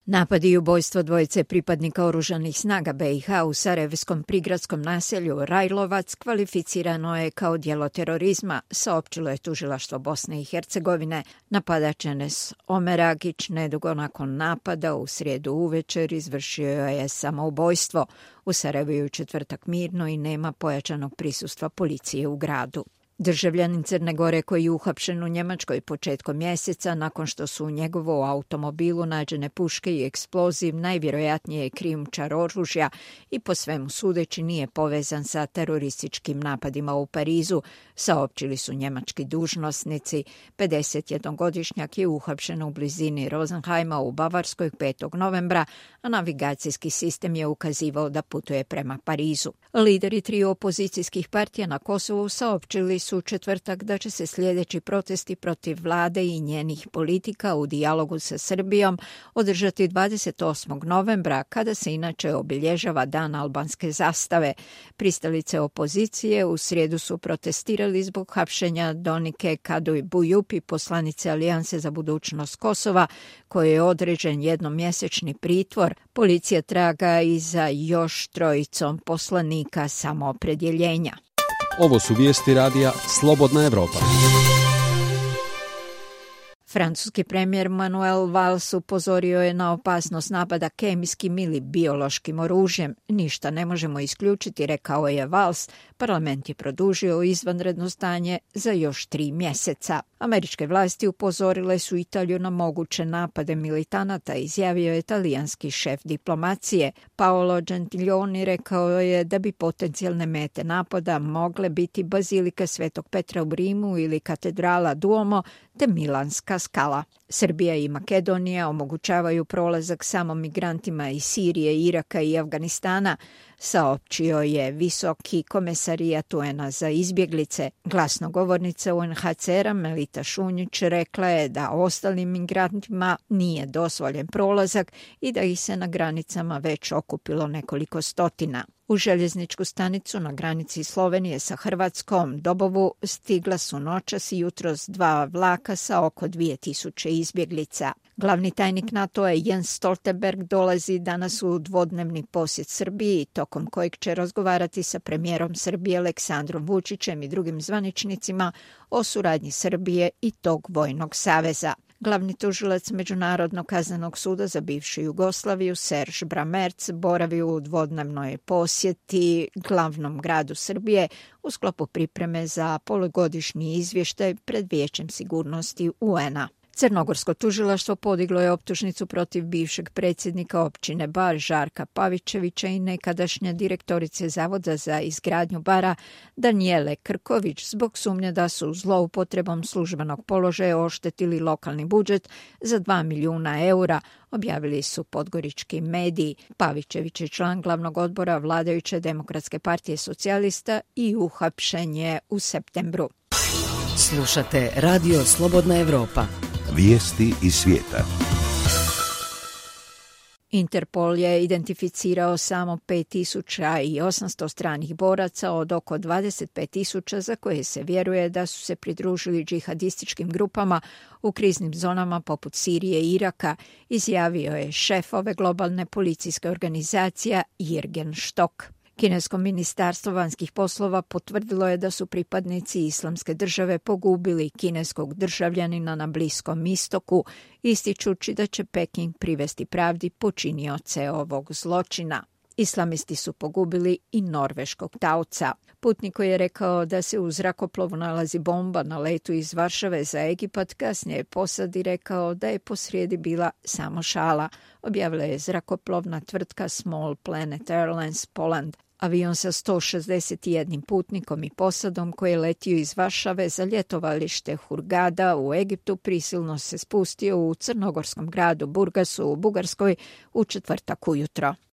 Napadi i ubojstvo dvojice pripadnika oružanih snaga BiH u sarajevskom prigradskom naselju Rajlovac kvalificirano je kao djelo terorizma, saopćilo je tužilaštvo Bosne i Hercegovine. Napadač Enes Omeragić nedugo nakon napada u srijedu uvečer izvršio je samoubojstvo. U Sarajevu je u četvrtak mirno i nema pojačanog prisustva policije u gradu. Državljanin Crne Gore koji je uhapšen u Njemačkoj početkom mjeseca nakon što su u njegovu automobilu nađene puške i eksploziv, najvjerojatnije je krijumčar oružja i po svemu sudeći nije povezan sa terorističkim napadima u Parizu, saopćili su njemački dužnosnici. 51-godišnjak je uhapšen u blizini Rosenheima u Bavarskoj 5. novembra, a navigacijski sistem je ukazivao da putuje prema Parizu. Lideri triju opozicijskih partija na Kosovu saopćili su u četvrtak da će se sljedeći protesti protiv vlade i njenih politika u dijalogu sa Srbijom održati 28. novembra, kada se inače obilježava Dan albanske zastave. Pristalice opozicije u srijedu su protestirali zbog hapšenja Donike Kaduj Bujupi, poslanice Alijanse za budućnost Kosova, koje je određen jednomjesečni pritvor. Policija traga i za još trojicom poslanika samoopredjeljenja. Ovo su vijesti radija Slobodna Evropa. Francuski premijer Manuel Valls upozorio je na opasnost napada kemijskim ili biološkim oružjem. Ništa ne možemo isključiti, rekao je Valls. Parlament je produžio izvanredno stanje za još 3 mjeseca. Američke vlasti upozorile su Italiju na moguće napade militanata, izjavio je talijanski šef diplomacije. Paolo Gentiloni rekao je da bi potencijalne mete napada mogle biti Bazilika Svetog Petra u Rimu ili katedrala Duomo te Milanska skala. Srbija i Makedonija omogućavaju prolazak samo migrantima iz Sirije, Iraka i Afganistana, saopćio je visoki komesarijat UN-a za izbjeglice. Glasnogovornica UNHCR-a Melita Šunjić rekla je da ostalim migrantima nije dozvoljen prolazak i da ih se na granicama već okupilo nekoliko stotina. U željezničku stanicu na granici Slovenije sa Hrvatskom Dobovu stigla su noćas i jutros 2 vlaka sa oko 2000 izbjeglica. Glavni tajnik NATO-a Jens Stoltenberg dolazi danas u dvodnevni posjet Srbiji, tokom kojeg će razgovarati sa premijerom Srbije Aleksandrom Vučićem i drugim zvaničnicima o suradnji Srbije i tog vojnog saveza. Glavni tužilac Međunarodnog kaznenog suda za bivšu Jugoslaviju Serž Bramerc boravi u dvodnevnoj posjeti glavnom gradu Srbije u sklopu pripreme za polugodišnji izvještaj pred Vijećem sigurnosti UN-a. Crnogorsko tužilaštvo podiglo je optužnicu protiv bivšeg predsjednika općine Bar Žarka Pavićevića i nekadašnje direktorice Zavoda za izgradnju Bara Danijele Krković zbog sumnje da su zloupotrebom službenog položaja oštetili lokalni budžet za 2 milijuna eura, objavili su podgorički mediji. Pavićević je član glavnog odbora vladajuće Demokratske partije socijalista i uhapšen je u septembru. Slušate Radio Slobodna Evropa. Vijesti iz svijeta. Interpol je identificirao samo 5800 stranih boraca od oko 25.000 za koje se vjeruje da su se pridružili džihadističkim grupama u kriznim zonama poput Sirije i Iraka, izjavio je šef ove globalne policijske organizacije Jürgen Stock. Kinesko ministarstvo vanjskih poslova potvrdilo je da su pripadnici Islamske države pogubili kineskog državljanina na Bliskom istoku, ističući da će Peking privesti pravdi počinioce ovog zločina. Islamisti su pogubili i norveškog taoca. Putnik koji je rekao da se u zrakoplovu nalazi bomba na letu iz Varšave za Egipat, kasnije je posadi rekao da je posrijedi bila samo šala, objavila je zrakoplovna tvrtka Small Planet Airlines Poland. Avion sa 161 putnikom i posadom koji je letio iz Varšave za ljetovalište Hurgada u Egiptu prisilno se spustio u crnogorskom gradu Burgasu u Bugarskoj u četvrtak ujutro.